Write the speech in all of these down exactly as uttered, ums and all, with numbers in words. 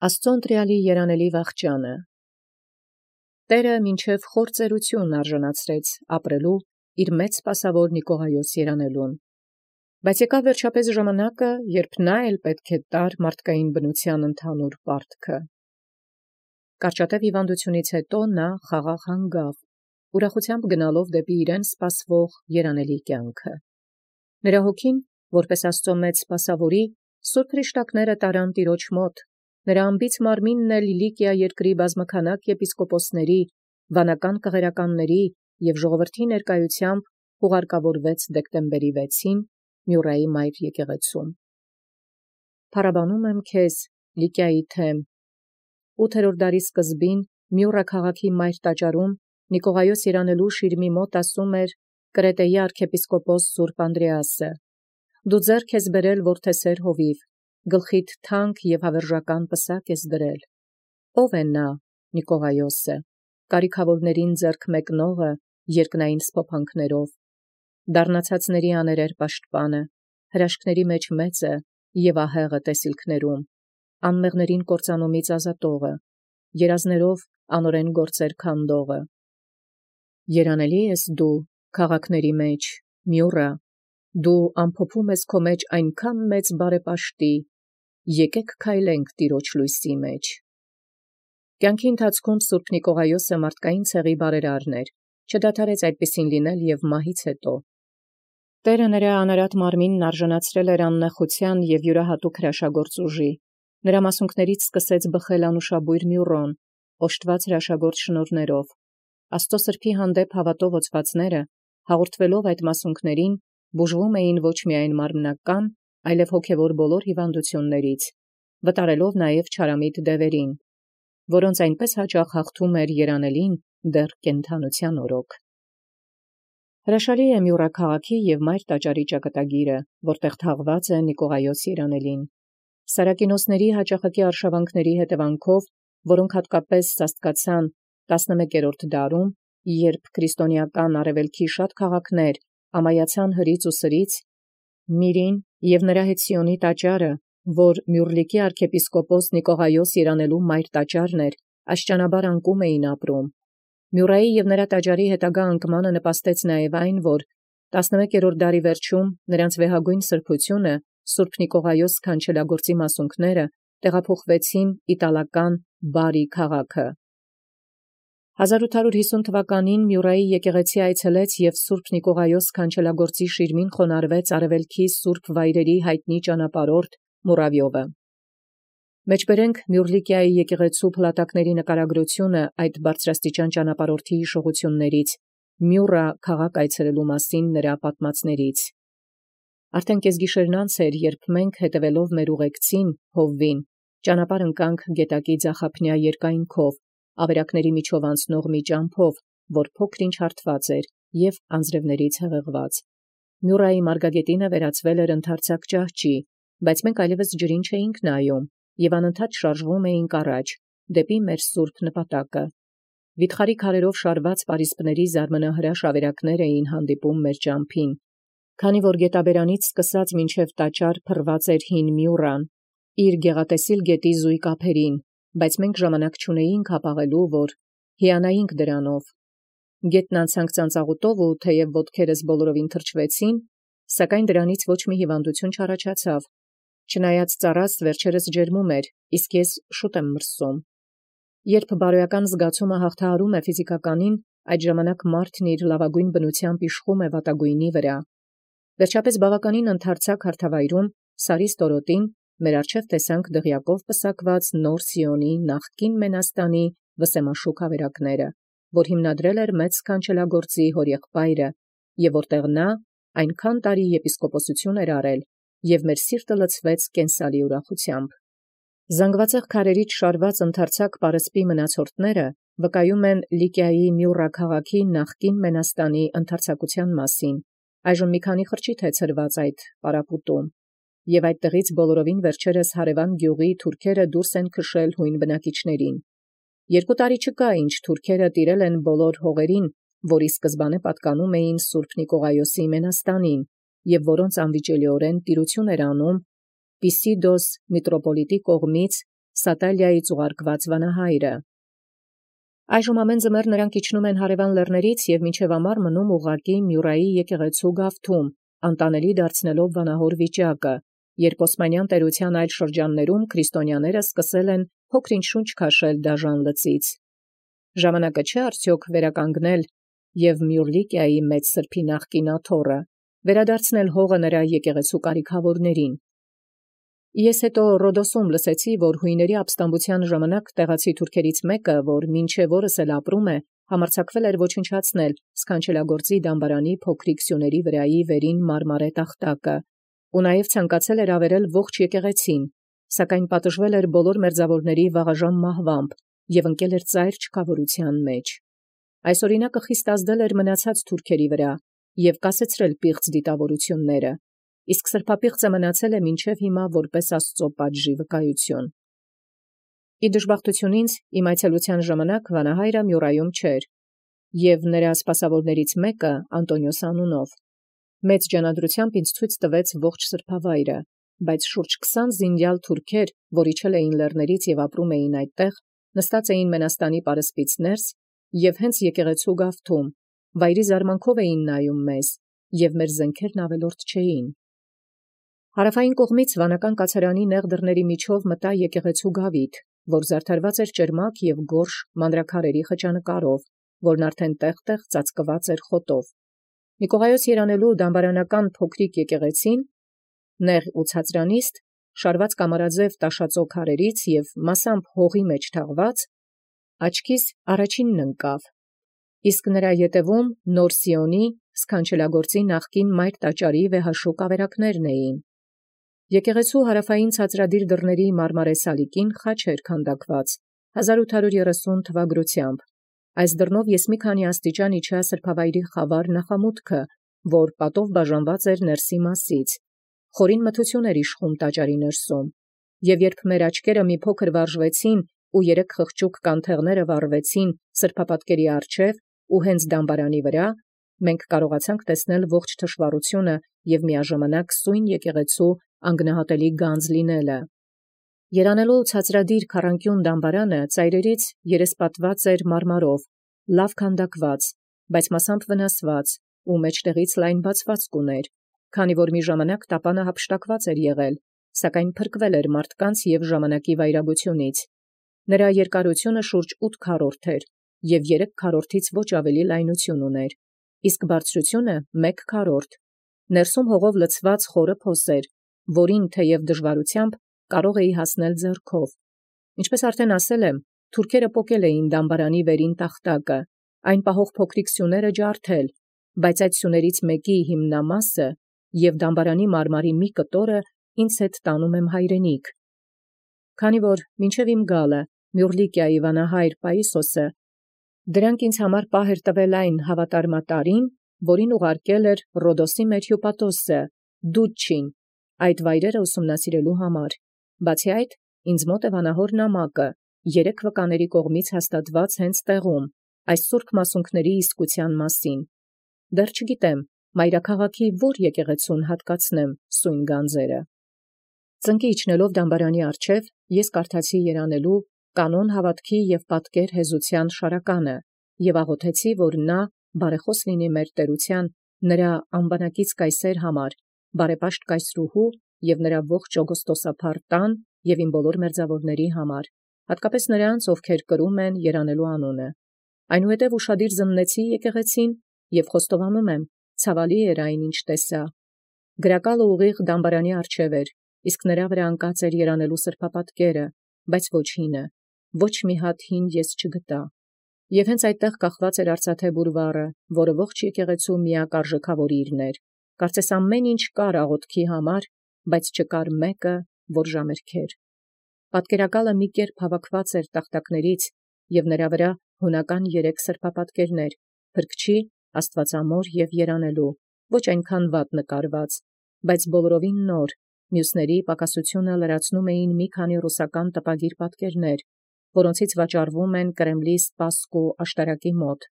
Աստծոն տրեալի երանելի վախճանը։ Տերը մինչև խործերություն արժանացրեց ապրելու իր մեծ սպասավոր Նիկողայոս երանելուն։ Բայց եկավ վերջապես ժամանակը, երբ նա էլ պետք է տար մարդկային բնության ընդհանուր պարտքը։ Կարճատև հիվանդությունից հետո նա խաղաղ հանգավ, ուրախությամբ գնալով դեպի իրեն սպասվող երանելի կյանքը։ Նրա հոգին, որպես Աստծո մեծ սպասավորի, սուրբ հրեշտակները տարան Տիրոջ մոտ, նրա անբիծ մարմինն էլ Լիլիկիա երկրի բազմաքանակ եպիսկոպոսների, վանական կղերականների և ժողովրդի ներկայությամբ հուղարկավորվեց դեկտեմբերի վեցին Մյուրայի մայր եկեղեցում։ Փառաբանում եմ քեզ, Լիկիայի թեմ, ութերորդ դարի սկզբին Մյուրա քաղաքի մայր տաճարում Նիկողայոս երանելու շիրմի մոտ ասում էր Կրետեի arczepiskopos Սուրբ Անդրեասը. դու ձեռք ես բերել որդեսեր հովիվ, գլխիդ թանկ և հավերժական պսակ ես դրել։ Ո՞վ է նա, Նիկողայոսը, կարիքավորներին ձեռք մեկնողը երկնային սփոփանքներով, դառնացածների աներեր պաշտպանը, հրաշքների մեջ մեծը և ահեղը տեսիլքներում, անմեղներին կործանումից ազատողը, երազներով անօրեն գործեր քանդողը։ Երանելի ես դու քաղաքների մեջ, Մյուրա, դու ամփոփում ես քո մեջ այնքան մեծ բարեպաշտի, եկեք քայլենք Տիրոջ լույսի մեջ։ Կյանքի ընթացքում Սուրբ Նիկողայոսը մարդկային ցեղի բարերարն էր, չդադարեց այդպիսին լինել և մահից հետո։ Տերը նրա անարատ մարմինն արժանացրել էր աննեխության և յուրահատուկ հրաշագործ ուժի։ Նրա մասունքներից սկսեց բխել անուշաբույր Մյուրոն, օժտված հրաշագործ շնորհներով։ Աստծո սրբի հանդեպ հավատով օծվածները, հաղորդվելով այդ մասունքներին, բուժվում էին ոչ միայն մարմնական, այլև հոգևոր բոլոր հիվանդություններից, վտարելով նաև չարամիտ դևերին, որոնց այնպես հաճախ հաղթում էր երանելին դեռ կենդանության օրոք։ Հրաշալի է Մյուրա քաղաքի և մայր տաճարի ճակատագիրը, որտեղ թաղված է Նիկողայոս երանելին։ Սարակինոսների հաճախակի արշավանքների հետևանքով, որոնք հատկապես սաստկացան տասնմեկերորդ դարում, երբ քրիստոնեական արևելքի շատ քաղաքներ ամայացան հրից ու սրից, Միրին և նրա հետ Սիոնի տաճարը, որ Մյուրլիկի arczepiskopos Նիկողայոս երանելու մայր տաճարն էր, աշճանաբար անկում էին ապրում։ Մյուրայի և նրա տաճարի հետագա անկմանը նպաստեց նաև այն, որ տասնմեկերորդ դարի վերջում նրանց վեհագույն սրբությունը, Սուրբ Նիկողայոս քանչելագործի մասունքները տեղափոխվեցին իտալական Բարի քաղաքը։ հազար ութ հարյուր հիսուն թվականին Մյուրայի եկեղեցի այցելեց և Սուրբ Նիկողայոս քանչելագործի շիրմին խոնարհվեց արևելքի սուրբ վայրերի հայտնի ճանապարհորդ Մուրավյովը։ Մեջբերենք Մյուրլիկիայի եկեղեցու փլատակների նկարագրությունը այդ բարձրաստիճան ճանապարհորդի հիշողություններից, Մյուրա քաղաք այցելելու մասին նրա պատմածներից։ Արդեն կեսգիշերն անց էր, երբ մենք հետևելով մեր ուղեկցին Հովվին, ճանապարհ ընկանք գետակի ձախափնյա երկայնքով, ավերակների միջով անցնող մի ճամփով, որ փոքր-ինչ հարթված էր և անձրևներից հեղեղված։ Մյուրայի մարգագետինը վերածվել էր ընդարձակ ճահճի, բայց մենք այլևս ջրին չէինք նայում և անընդհատ շարժվում էինք առաջ, դեպի մեր սուրբ նպատակը։ Վիթխարի քարերով շարված պարիսպների զարմանահրաշ ավերակներ էին հանդիպում մեր ճամփին, քանի որ գետաբերանից սկսած մինչև տաճար փռված էր հին Մյուրան, իր գեղատեսիլ գետի զույգ ափերին, բայց մենք ժամանակ չունեինք հապաղելու, որ հիանայինք դրանով։ Գետն անցանք ծանծաղուտով ու թեև ոտքերս բոլորովին թրջվեցին, սակայն դրանից ոչ մի հիվանդություն չառաջացավ, չնայած ծառաց վերջերս ջերմում էր, իսկ ես շուտ եմ մրսում։ Երբ բարոյական զգացումը հաղթահարում է ֆիզիկականին, այդ ժամանակ մարդն իր լավագույն բնությամբ իշխում է վատագույնի վրա։ Վերջապես բավականին ընդարձակ հարթավայրում, Սարի ստորոտին, մեր առջև տեսանք դղյակով պսակված նոր Սիոնի նախկին Մենաստանի վսեմաշուք ավերակները, որ հիմնադրել էր մեծ քանչելագործի հորեղբայրը, և որտեղ նա այնքան տարի եպիսկոպոսություն էր արել, և մեր սիրտը լցվեց կենսալի ուրախությամբ։ Զանգվածեղ քարերից շարված ընդարձակ պարսպի մնացորդները վկայում են Լիկիայի Մյուրա քաղաքի նախկին Մենաստանի ընդարձակության մասին, այժմ մի քանի խրճիթ է ցրված այդ պարապուտում, և այդտեղից բոլորովին վերջերս հարևան գյուղի թուրքերը դուրս են քշել հույն բնակիչներին։ Երկու տարի չկա, ինչ թուրքերը տիրել են բոլոր հողերին, որի սկզբանե պատկանում էին Սուրբ Նիկողայոսի Մենաստանին, և որոնց անվիճելիորեն տիրություն էր անում Պիսիդոս միտրոպոլիտի կողմից Սատալիայից ուղարկված վանահայրը։ Այժմ ամեն ձմեռ նրանք իջնում են հարևան լեռներից և մինչև ամառ մնում ուղղակի Մյուրայի եկեղեցու գավթում, անտանելի դարձնելով վանահոր վիճակը, երբ Օսմանյան տերության այլ շրջաններում քրիստոնյաները սկսել են փոքր-ինչ շունչ քաշել դաժան լծից։ Ժամանակը չէ արդյոք վերականգնել և Մյուռլիկիայի մեծ սրբի նախկին աթոռը, վերադարձնել հողը նրա եկեղեցու կարիքավորներին։ Ես հետո Ռոդոսում լսեցի, որ հույների ապստամբության ժամանակ տեղացի թուրքերից մեկը, որ մինչև օրս էլ ապրում է, համարձակվել էր ոչնչացնել սքանչելագործի դամբարանի փոքրիկ սյուների վրայի վերին մարմարե տախտակը, ու նաև ցանկացել էր ավերել ողջ եկեղեցին, սակայն պատժվել էր բոլոր մերձավորների վաղաժամ մահվամբ և ընկել էր ծայր չքավորության մեջ։ Այս օրինակը խիստ ազդել էր մնացած թուրքերի վրա և կասեցրել պիղծ դիտավորությունները, իսկ սրբապիղծը մնացել է մինչև հիմա որպես Աստծո պատժի վկայություն։ Ի դժբախտություն ինձ, իմ այցելության ժամանակ վանահայրը Մյուրայում չէր, և նրա սպասավորներից մեկը Անտոնիոս անունով մեծ ջանադրությամբ ինձ ցույց տվեց ողջ սրբավայրը, բայց շուրջ քսան զինյալ թուրքեր, որ իջել էին լեռներից և ապրում էին այդտեղ, նստած էին Մենաստանի պարսպից ներս և հենց եկեղեցու գավթում, վայրի զարմանքով էին նայում մեզ, և մեր զենքերն ավելորդ չէին։ Հարավային կողմից վանական կացարանի նեղ դռների միջով մտա եկեղեցու գավիթ, որ զարդարված էր ճերմակ և գորշ մանրաքարերի խճանկարով, որն արդեն տեղ-տեղ ծածկված էր խոտով։ Նիկողայոս երանելու դամբարանական փոքրիկ եկեղեցին, նեղ ու ցածրանիստ, շարված կամարաձև տաշածո քարերից և մասամբ հողի մեջ թաղված, աչքիս առաջինն ընկավ, իսկ նրա ետևում Նոր Սիոնի սքանչելագործի նախկին մայր տաճարի վեհաշուկ ավերակներն էին։ Եկեղեցու հարավային ցածրադիր դռների մարմարե սալիկին խաչ էր քանդակված հազար ութ հարյուր երեսուն թվագրությամբ։ Այս դռնով ես մի քանի աստիճան իջա սրբավայրի խավար նախամուտքը, որ պատով բաժանված էր ներսի մասից։ Խորին մթություն էր իշխում տաճարի ներսում, և երբ մեր աչքերը մի փոքր վարժվեցին ու երեք խղճուկ կանթեղները վառվեցին սրբապատկերի առջև ու հենց դամբարանի վրա, մենք կարողացանք տեսնել ողջ թշվառությունը և միաժամանակ սույն եկեղեցու անգնահատելի գանձ լինելը։ Երանելու ցածրադիր քառանկյուն դամբարանը ծայրերից երեսպատված էր մարմարով, լավ քանդակված, բայց մասամբ վնասված ու մեջտեղից լայն բացվածք ուներ, քանի որ մի ժամանակ տապանը հափշտակված էր եղել, սակայն փրկվել էր մարդկանց և ժամանակի վայրագությունից։ Նրա երկարությունը շուրջ ութ քառորդ էր և երեք քառորդից ոչ ավելի լայնություն ուներ, իսկ բարձրությունը մեկ քառորդ։ Ներսում հողով լցված խորը փոս էր, որին թեև դժվարությամբ կարող էի հասնել ձեռքով։ Ինչպես արդեն ասել եմ, թուրքերը պոկել էին դամբարանի վերին տախտակը, այն պահող փոքրիկ սյուները ջարդել, բայց այդ սյուներից մեկի հիմնամասը և դամբարանի մարմարի մի կտորը ինձ հետ տանում եմ հայրենիք։ Քանի որ մինչև իմ գալը Մյուռլիկիայի վանահայր Պաիսոսը դրանք ինձ համար պահ էր տվել այն հավատարմատարին, որին ուղարկել էր Ռոդոսի մեր հյուպատոսը Դուչչին այդ վայրերը ուսումնասիրելու համար։ Բացի այդ, ինձ մոտ է վանահոր նամակը, երեք վկաների կողմից հաստատված հենց տեղում, այս սուրբ մասունքների իսկության մասին։ Դեռ չգիտեմ մայրաքաղաքի որ եկեղեցուն հատկացնեմ սույն գանձերը։ Ծնկի իջնելով դամբարանի առջև, ես կարդացի երանելու կանոն հավատքի և պատկեր հեզության շարականը և աղոթեցի, որ նա բարեխոս լինի մեր տերության նրա անբանակից կայսեր համար, բարեպաշտ կայսրուհու և նրա ողջ օգոստոսափառ տան և իմ բոլոր մերձավորների համար, հատկապես նրանց, ովքեր կրում են երանելու անունը։ Այնուհետև ուշադիր զննեցի եկեղեցին և խոստովանում եմ, ցավալի էր այն, ինչ տեսա։ Գրակալը ուղիղ դամբարանի առջև էր, իսկ նրա վրա ընկած էր երանելու սրբապատկերը, բայց ոչ հինը, ոչ մի հատ հին ես չգտա։ Եվ հենց այդտեղ կախված էր արծաթե բուրվառը, որը ողջ եկեղեցու միակ արժեքավորիրն էր։ Կարծես ամեն ինչ կար աղոթքի համար, բայց չկար մեկը, որ ժամերքեր։ Պատկերակալը մի կերպ հավաքված էր տախտակներից, և նրա վրա հունական երեք սրբապատկերներ՝ Փրկչի, Աստվածամոր և երանելու, ոչ այնքան վատ նկարված, բայց բոլորովին նոր, մյուսների պակասությունը լրացնում էին մի քանի ռուսական տպագիր պատկերներ, որոնցից վաճառվում են Կրեմլի Սպասկու աշտարակի մոտ։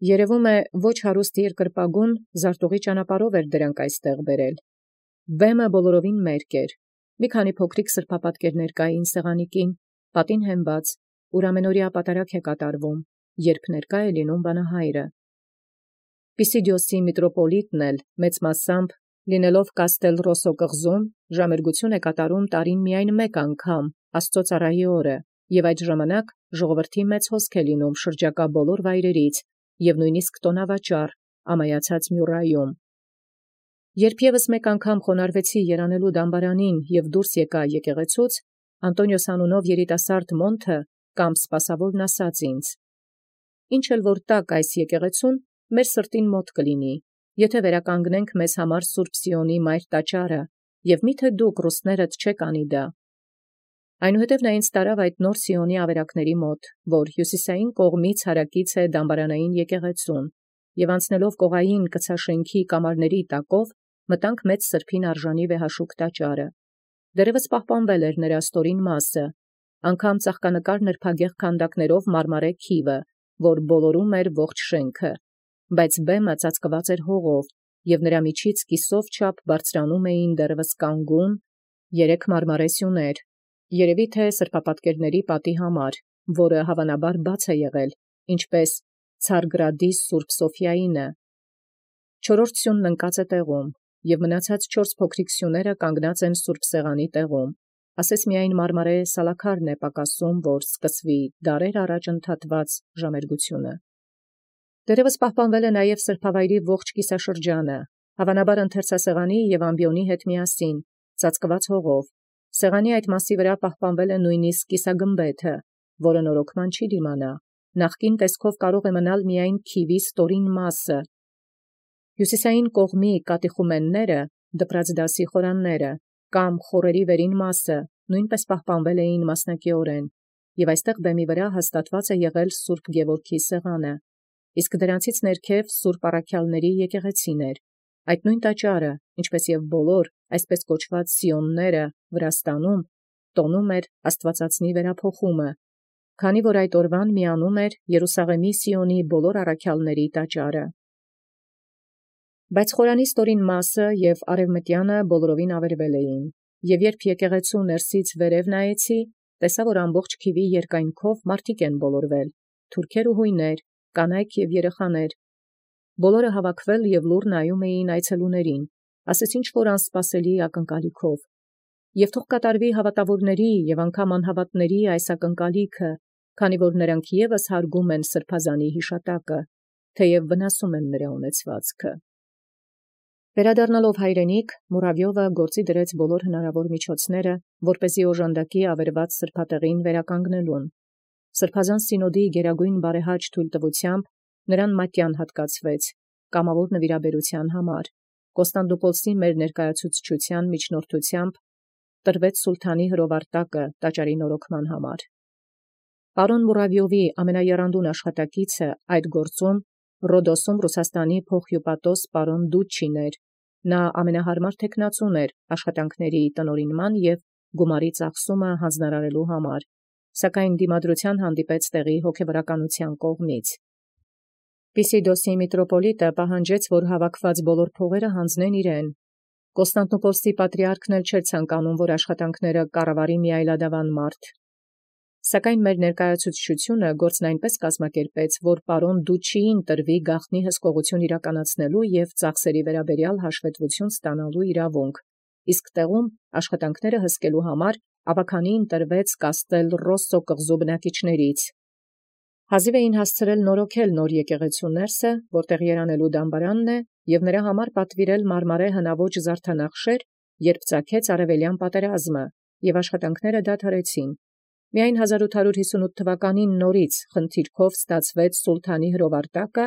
Երևում է ոչ հարուստ երկրպագուն զարտուղի ճանապարհով էր դրանք այստեղ բերել։ Բեմը բոլորովին մերկ էր, Մի քանի փոքրիկ սրբապատկերներ կային սեղանիկին, պատին հենված, ուր ամենօրյա պատարագ է կատարվում, երբ ներկա է լինում վանահայրը։ Պիսիդիոսի միտրոպոլիտն էլ մեծ մասամբ լինելով Կաստել Ռոսո կղզում, ժամերգություն է կատարում տարին միայն մեկ անգամ, Աստծո ծառայի օրը, եւ այդ ժամանակ ժողովրդի մեծ հոսք է լինում շրջակա բոլոր վայրերից, եւ նույնիսկ տոնավաճառ, ամայացած Մյուրայում։ Երբ եւս մեկ անգամ խոնարհվեցի երանելու դամբարանին եւ դուրս եկա եկեղեցուց, Անտոնիոս անունով երիտասարդ մոնթը կամ սպասավորն ասաց ինձ. «Ինչ էլ որ տակ այս եկեղեցուն, մեր սրտին մոտ կլինի, եթե վերականգնենք մեզ համար Սուրբ Սիոնի մայր տաճարը, եւ միթե դուք ռուսներդ չեք անի դա»։ Այնուհետև նա ինձ տարավ այդ նոր Սիոնի ավերակների մոտ, որ հյուսիսային կողմից հարակից է դամբարանային եկեղեցուն, եւ անցնելով կողային կցաշենքի կամարների տակով, մտանք մեծ սրբին արժանի վեհաշուկ տաճարը։ Դեռևս պահպանվել էր նրա ստորին մասը, անգամ ծաղկանկար նրբագեղ քանդակներով մարմարե քիվը, որ բոլորում էր ողջ շենքը, բայց բեմը ծածկված էր հողով, եւ նրա միջից կիսով չափ բարձրանում էին դեռևս կանգուն երեք մարմարե սյուներ, երևի թե սրբապատկերների պատի համար, որը հավանաբար բաց է եղել, ինչպես Ցարգրադի Սուրբ Սոֆիայինը։ Չորրորդ սյունն ընկած է տեղում, եւ մնացած չորս փոքրիկ սյուները կանգնած են Սուրբ Սեղանի տեղում, ասես միայն մարմարե սալաքարն է պակասում, որ սկսվի դարեր առաջ ընդհատված ժամերգությունը։ Դեռևս պահպանվել է նաև սրբավայրի ողջ կիսաշրջանը, հավանաբար ընթերցասեղանի եւ ամբիոնի հետ միասին, ծածկված հողով։ Սեղանի այդ մասի վրա պահպանվել է նույնիսկ կիսագմբեթը, որը նորոգման չի դիմանա, նախկին տեսքով կարող է մնալ միայն քիվի ստորին մասը։ Հյուսիսային կողմի կատիխումենները, դպրած դասի խորանները կամ խորերի վերին մասը նույնպես պահպանվել էին մասնակիորեն, եւ այստեղ բեմի վրա հաստատված է եղել Սուրբ Գևորգի սեղանը, իսկ դրանցից ներքև Սուրբ Առաքյալների եկեղեցին էր։ Այդ նույն տաճարը, ինչպես եւ բոլոր այսպես կոչված Սիոնները Վրաստանում, տոնում էր Աստվածածնի վերափոխումը, քանի որ այդ օրվան միանում էր Երուսաղեմի Սիոնի բոլոր առաքյալների տաճարը։ Բայց խորանի ստորին մասը եւ արևմտյանը բոլորովին ավերվել էին, եւ երբ եկեղեցու ներսից վերև նայեցի, տեսա, որ ամբողջ քիվի երկայնքով մարդիկ են բոլորվել, թուրքեր ու հույներ, կանայք եւ երեխաներ։ Բոլորը հավաքվել եւ լուռ նայում էին այցելուներին, ասես ինչ որ անսպասելի ակնկալիքով։ Եվ թող կատարվի հավատավորների եւ անգամ անհավատների այս ակնկալիքը, քանի որ նրանք եւս հարգում են սրբազանի հիշատակը, թեև վնասում են նրա ունեցվածքը։ Վերադառնալով հայրենիք, Մուրավյովը գործի դրեց բոլոր հնարավոր միջոցները, որպեսզի օժանդակի ավերված սրբատեղին վերականգնելուն։ Սրբազան սինոդի գերագույն բարեհաճ թույլտվությամբ նրան մատյան հատկացվեց կամավոր նվիրաբերության համար։ Կոստանդնուպոլսի մեր ներկայացուցչության միջնորդությամբ տրվեց սուլթանի հրովարտակը տաճարի նորոգման համար։ Պարոն Մուրավյովի ամենաեռանդուն աշխատակիցը այդ գործում Ռոդոսում Ռուսաստանի փոխյուպատոս պարոն Դուչին էր։ Նա ամենահարմար թեկնածուն էր աշխատանքների տնօրինման եւ գումարի ծախսումը հանձնարարելու համար, սակայն դիմադրության հանդիպեց տեղի հոգևորականության կողմից։ Պիսիդոսի միտրոպոլիտը պահանջեց, որ հավաքված բոլոր փողերը հանձնեն իրեն։ Կոստանդնուպոլսի պատրիարքն էլ չէր ցանկանում, որ աշխատանքները կառավարի մի այլադավան մարդ։ Սակայն մեր ներկայացուցչությունը գործն այնպես կազմակերպեց, որ պարոն Դուչիին տրվի գաղտնի հսկողություն իրականացնելու եւ ծախսերի վերաբերյալ հաշվետվություն ստանալու իրավունք, իսկ տեղում աշխատանքները հսկելու համար ավականին տրվեց Կաստել Ռոսո կղզու բնակիչներից։ Հազիվ էին հասցրել նորոգել նոր եկեղեցու ներսը, որտեղ երանելու դամբարանն է, եւ նրա համար պատվիրել մարմարե հնաոճ զարդանախշեր, երբ ծագեց արևելյան պատերազմը, եւ աշխատանքները դադարեցին։ Միայն հազար ութ հարյուր հիսունութ թվականին նորից խնդիրքով ստացվեց սուլթանի հրովարտակը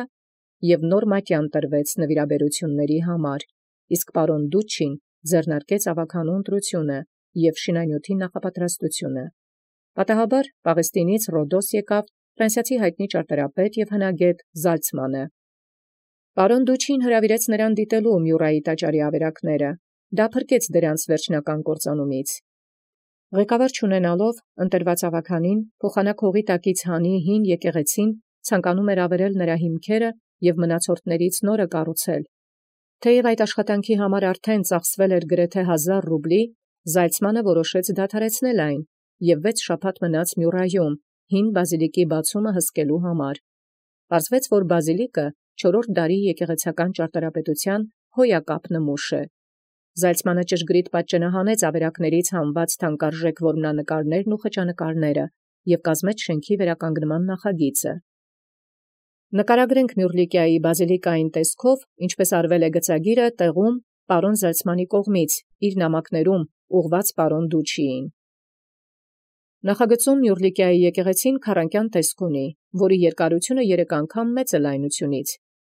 եւ նոր մատյան տրվեց նվիրաբերությունների համար, իսկ պարոն Դուչին ձեռնարկեց ավականու ընտրությունը եւ շինանյութի նախապատրաստությունը։ Պատահաբար Պաղեստինից Ռոդոս եկավ ֆրանսիացի հայտնի ճարտարապետ եւ հնագետ Զալցմանը։ Պարոն Դուչին հրավիրեց նրան դիտելու Մյուրայի տաճարի ավերակները։ Դա փրկեց դրանց վերջնական կործանումից։ Ղեկավար չունենալով ընտրված ավականին փոխանակ հողի տակից հանի հին եկեղեցին ցանկանում էր ավերել նրա հիմքերը եւ մնացորդներից նորը կառուցել։ Թեև այդ աշխատանքի համար արդեն ծախսվել էր գրեթե հազար ռուբլի, Զայլցմանը որոշեց դադարեցնել այն, և վեց շաբաթ մնաց Մյուռայում, հին բազիլիկի բացումը հսկելու համար։ Պարզվեց, որ բազիլիկը չորրորդ դարի եկեղեցական ճարտարապետության հոյակապ նմուշ է։ Զայլցմանը ճշգրիտ պատճենահանեց ավերակներից հանված թանկարժեք որմնանկարներն ու խճանկարները և կազմեց շենքի վերականգնման նախագիծը։ Նկարագրենք Մյուռլիկիայի բազիլիկային տեսքով, ինչպես արվել է գծագիրը տեղում պարոն Զայլցմանի կողմից իր նամակներում ուղված պարոն Դուչիին։ Նախագծում Մյուռլիկիայի եկեղեցին քառանկյան տեսք ունի, որի երկարությունը երեք անգամ մեծ է լայնությունից։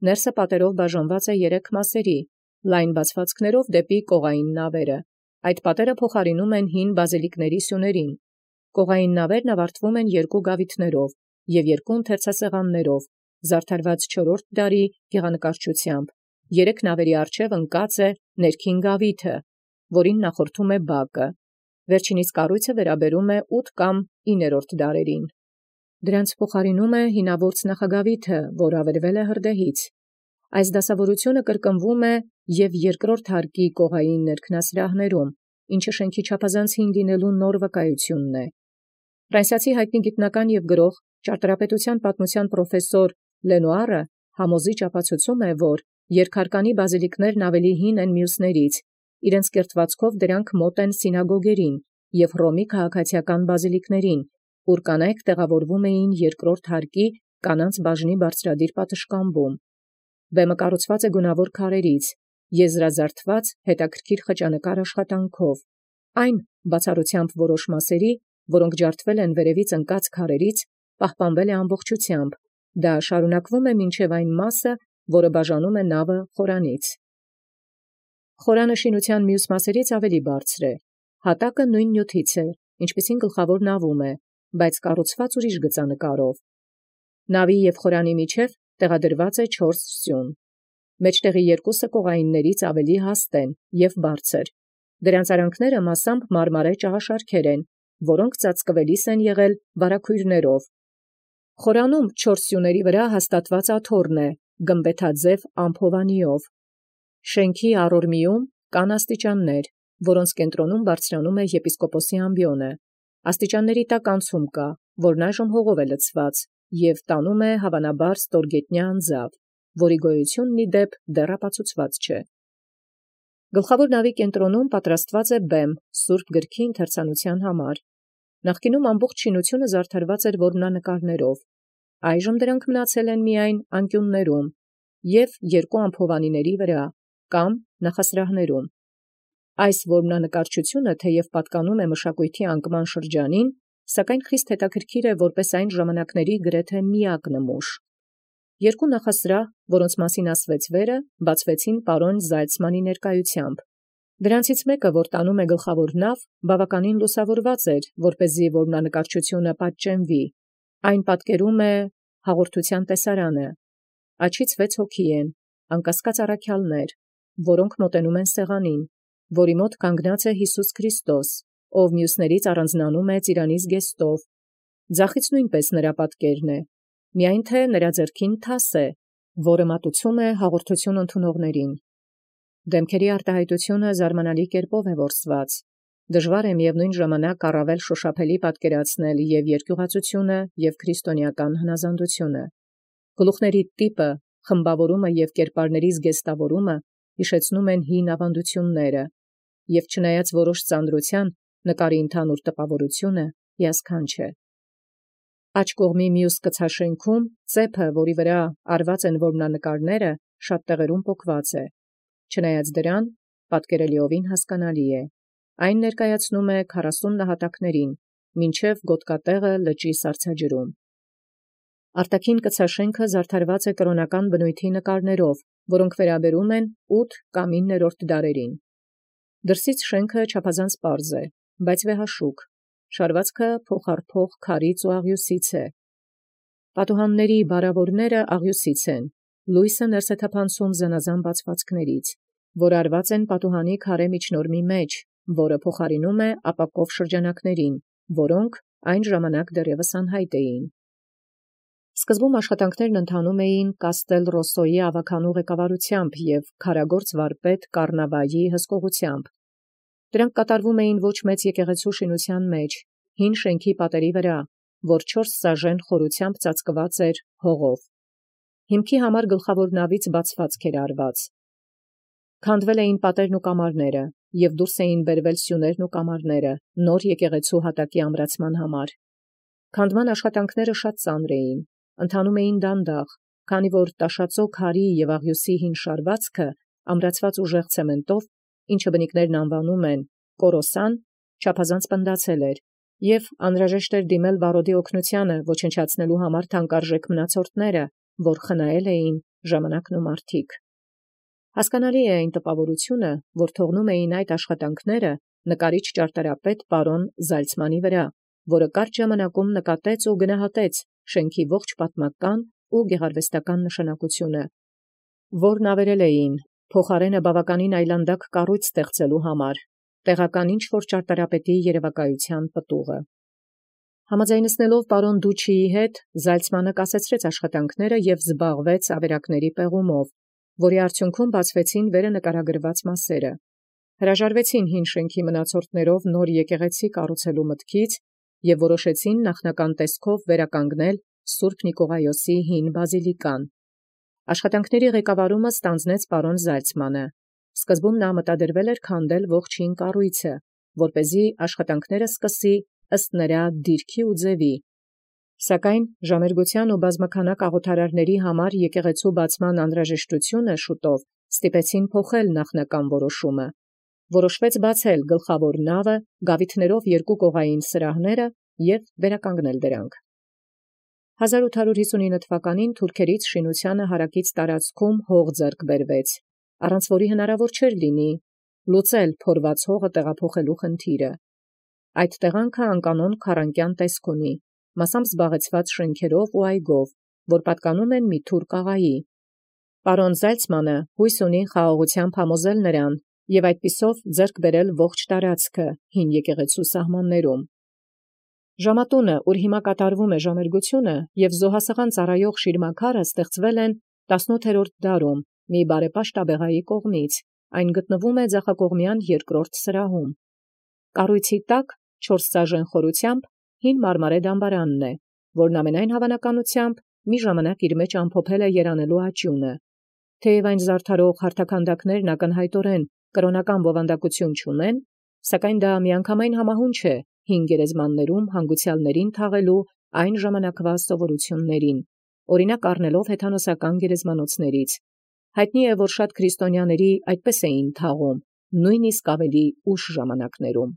Ներսը պատերով բաժանված է երեք մասերի, լայն բացվածքներով դեպի կողային նավերը։ Այդ պատերը փոխարինում են հին բազիլիկների սյուներին։ Կողային նավերն ավարտվում են երկու գավիթներով և երկու ընթերցասեղաններով, զարդարված չորրորդ դարի գեղանկարչությամբ։ Երեք նավերի առջև ընկած է ներքին գավիթը, որին նախորդում է բակը։ Վերջինիս կառույցը վերաբերում է ութ կամ իններորդ դարերին։ Դրանց փոխարինում է հինավուրց նախագավիթը, որ ավերվել է հրդեհից։ Այս դասավորությունը կրկնվում է և երկրորդ հարկի կողային ներքնասրահներում, ինչը շենքի չափազանց հին լինելու նոր վկայությունն է։ Ֆրանսիացի հայտնի գիտնական և գրող, ճարտարապետության պատմության պրոֆեսոր Լենուարը համոզիչ ապացուցում է, որ երկհարկանի բազիլիկներն ավելի հին են մյուսներից, իրենց կերտվածքով դրանք մոտ են սինագոգերին և Հռոմի քաղաքացիական բազիլիկներին, ուր կանայք տեղավորվում էին երկրորդ հարկի կանանց բաժնի բարձրադիր պատշգամբում։ Բեմը կառուցված է գունավոր քարերից, եզրազարդված հետաքրքիր խճանկար աշխատանքով։ Այն, բացառությամբ որոշ մասերի, որոնք ջարդվել են վերևից ընկած քարերից, պահպանվել է ամբողջությամբ։ Դա շարունակվում է մինչև այն մասը, որը բաժանում է նավը խորանից։ Խորանը շինության մյուս մասերից ավելի բարձր է։ Հատակը նույն նյութից է, ինչպիսին գլխավոր նավում է, բայց կառուցված ուրիշ գծանկարով։ Նավի և խորանի միջև տեղադրված է չորս սյուն։ Մեջտեղի երկուսը կողայիններից ավելի հաստ են և բարձր։ Դրանց արանքները մասամբ մարմարե ճաղաշարքեր են, որոնք ծածկվելիս են եղել վարագույրներով։ Խորանում չորս սյուների վրա հաստատված աթոռն է, գմբեթաձև ամփովանիով։ Շենքի առօրմիում կան աստիճաններ, որոնց կենտրոնում բարձրանում է եպիսկոպոսի ամբիոնը։ Աստիճանների տակ անցում կա, որն այժմ հողով է լցված և տանում է հավանաբար ստորգետնյա անձավ, որի գոյությունն ի դեպ դեռ ապացուցված չէ։ Գլխավոր նավի կենտրոնում պատրաստված է բեմ Սուրբ գրքի ընթերցանության համար։ Նախկինում ամբողջ շինությունը զարդարված էր որմնանկարներով։ Այժմ դրանք մնացել են միայն անկյուններում և երկու ամփովանիների վրա կամ նախասրահներում։ Այս որմնանկարչությունը թեև պատկանում է մշակույթի անկման շրջանին, սակայն խիստ հետաքրքիր է որպես այն ժամանակների գրեթե միակ նմուշ։ Երկու նախասրահ, որոնց մասին ասվեց վերը, բացվեցին պարոն Զայլցմանի ներկայությամբ։ Դրանցից մեկը, որ տանում է գլխավոր նավ, բավականին լուսավորված էր, որպեսզի որմնանկարչությունը պատճենվի։ Այն պատկերում է հաղորդության տեսարանը։ Աջից վեց հոգի են, անկասկած առաքյալներ, որոնք մոտենում են սեղանին, որի մոտ կանգնած է Յիսուս Քրիստոս, ով մյուսներից առանձնանում է ծիրանի զգեստով։ Ձախից նույնպես նրա պատկերն է, միայն թե նրա ձեռքին թաս է, որը մատուցում է հաղորդություն ընդունողներին։ Դեմքերի արտահայտությունը զարմանալի կերպով է որսված։ Դժվար է միևնույն ժամանակ առավել շոշափելի պատկերացնել և երկյուղածությունը, և քրիստոնեական հնազանդությունը։ Գլուխների տիպը, խմբավորումը և կերպարների զգեստավորումը հիշեցնում են հին ավանդությունները, և չնայած որոշ ծանրության, նկարի ընդհանուր տպավորությունը հիասքանչ է։ Աջ կողմի մյուս կցաշենքում ծեփը, որի վրա արված են որմնանկարները, շատ տեղերում պոկված է։ Չնայած դրան, պատկերը լիովին հասկանալի է։ Այն ներկայացնում է քառասուն նահատակներին, մինչև գոտկատեղը լճի սառցաջրում։ Արտաքին կցաշենքը զարդարված է կրոնական բնույթի նկարներով, որոնք վերաբերում են ութ կամ իններորդ դարերին։ Դրսից շենքը չափազանց պարզ է, բայց վեհաշուք։ Շարվածքը փոխարփող քարից ու աղյուսից է։ Պատուհանների բարավորները աղյուսից են, լույսը ներս է թափանցում զանազան բացվածքներից, որ արված են պատուհանի քարե միջնորմի մեջ, որը փոխարինում է ապակով շրջանակներին, որոնք այն ժամանակ դեռևս անհայտ էին։ Սկզբում աշխատանքներն ընթանում էին Կաստել Ռոսոյի ավագանու ղեկավարությամբ և քարագործ վարպետ Կառնավայի հսկողությամբ։ Դրանք կատարվում էին ոչ մեծ եկեղեցու շինութեան մեջ, հին շենքի պատերի վրա, որ չորս սաժեն խորությամբ ծածկված էր հողով։ Հիմքի համար գլխավոր նավից բացվածք էր արված։ Քանդվել էին պատերն ու կամարները, և դուրս էին բերվել սյուներն ու կամարները, նոր եկեղեցու հատակի ամրացման համար։ Քանդման աշխատանքները շատ ծանր էին, ընթանում էին դանդաղ, քանի որ տաշածո քարի և աղյուսի հին շարվածքը ամրացված ուժեղ ցեմենտով, ինչը բնիկներն անվանում են կորոսան, չափազանց պնդացել էր, և անհրաժեշտ էր դիմել վարոդի օգնութեանը ոչնչացնելու համար թանկարժեք մնացորդները, որ խնայել էին ժամանակն ու մարդիկ։ Հասկանալի է այն տպավորությունը, որ թողնում էին այդ աշխատանքները նկարիչ ճարտարապետ պարոն Զալցմանի վրա, որը կարճ ժամանակում նկատեց ու գնահատեց շենքի ողջ պատմական ու գեղարվեստական նշանակությունը, որն ավերել էին փոխարենը բավականին այլանդակ կառույց ստեղծելու համար, տեղական ինչ-որ ճարտարապետի երևակայության պտուղը։ Համաձայնեցնելով պարոն Դուչիի հետ, Զալցմանը կասեցրեց աշխատանքները և զբաղվեց ավերակների պեղումով, որի արդյունքում բացվեցին վերը նկարագրված մասերը։ Հրաժարվեցին հին շենքի մնացորդներով նոր եկեղեցի կառուցելու մտքից և որոշեցին նախնական տեսքով վերականգնել Սուրբ Նիկողայոսի հին բազիլիկան։ Աշխատանքների ղեկավարումը ստանձնեց պարոն Զալցմանը։ Սկզբում նա մտադրվել էր քանդել ողջ հին կառույցը, որպեսզի աշխատանքները սկսի ըստ նրա դիրքի ու ձևի։ Սակայն ժամերգության ու բազմաքանակ աղոթարարների համար եկեղեցու բացման անհրաժեշտությունը շուտով ստիպեցին փոխել նախնական որոշումը։ Որոշվեց բացել գլխավոր նավը, գավիթներով երկու կողային սրահները և վերականգնել դրանք։ հազար ութ հարյուր հիսունինը թվականին թուրքերից շինությանը հարակից տարածքում հող ձեռք բերվեց, առանց որի հնարավոր չէր լինի լուծել փորված հողը տեղափոխելու խնդիրը։ Այդ տեղանքը անկանոն քառանկյան տեսք ունի, մասամբ զբաղեցված շենքերով ու այգով, որ պատկանում են մի թուրք աղայի։ Պարոն Զալցմանը հույս ունի խաղաղությամբ համոզել նրան և այդպիսով ձեռք բերել ողջ տարածքը հին եկեղեցու սահմաններում։ Ժամատունը, ուր հիմա կատարվում է ժամերգությունը, և զոհասղան ծառայող շիրմաքարը ստեղծվել են տասնութերորդ դարում մի բարեպաշտ աբեղայի կողմից, այն գտնվում է ձախակողմյան երկրորդ սրահում։ Կառույցի տակ չորս սաժեն խորությամբ հին մարմարե դամբարանն է, որն ամենայն հավանականությամբ մի ժամանակ իր մեջ ամփոփել է երանելու աճյունը։ Թեև այն զարդարող հարթաքանդակներն ակնհայտորեն կրոնական բովանդակություն չունեն, սակայն դա միանգամայն համահունչ է հին գերեզմաններում հանգուցյալներին թաղելու այն ժամանակվա սովորություններին, օրինակ առնելով հեթանոսական գերեզմանոցներից։ Հայտնի է, որ շատ քրիստոնյաների այդպես էին թաղում, նույնիսկ ավելի ուշ ժամանակներում։